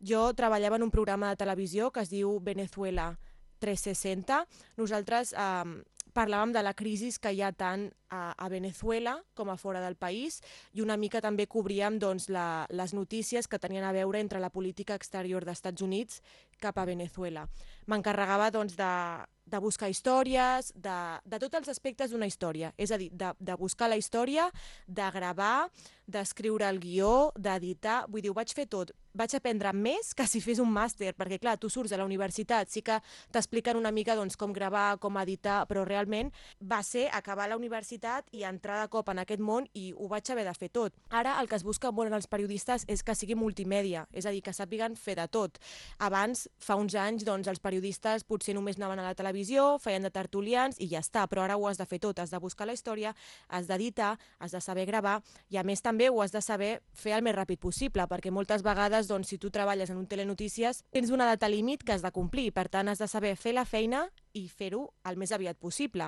Jo treballava en un programa de televisió que es diu Venezuela 360. Nosaltres parlàvem de la crisi que hi ha tant a Venezuela com a fora del país i una mica també cobríem doncs, les notícies que tenien a veure entre la política exterior dels Estats Units cap a Venezuela. M'encarregava doncs, de buscar històries, de tots els aspectes d'una història, és a dir, de buscar la història, de gravar, d'escriure el guió, d'editar, vull dir, ho vaig fer tot. Vaig aprendre més que si fes un màster, perquè clar, tu surts a la universitat, sí que t'expliquen una mica doncs, com gravar, com editar, però realment va ser acabar la universitat i entrar de cop en aquest món i ho vaig haver de fer tot. Ara el que es busca molt en els periodistes és que sigui multimèdia, és a dir, que sàpiguen fer de tot. Abans, fa uns anys, doncs, els periodistes potser només anaven a la televisió, feien de tertulians i ja està, però ara ho has de fer tot, has de buscar la història, has d'editar, has de saber gravar i a més també ho has de saber fer el més ràpid possible, perquè moltes vegades doncs, si tu treballes en un telenotícies tens una data límit que has de complir, per tant has de saber fer la feina i fer-ho el més aviat possible.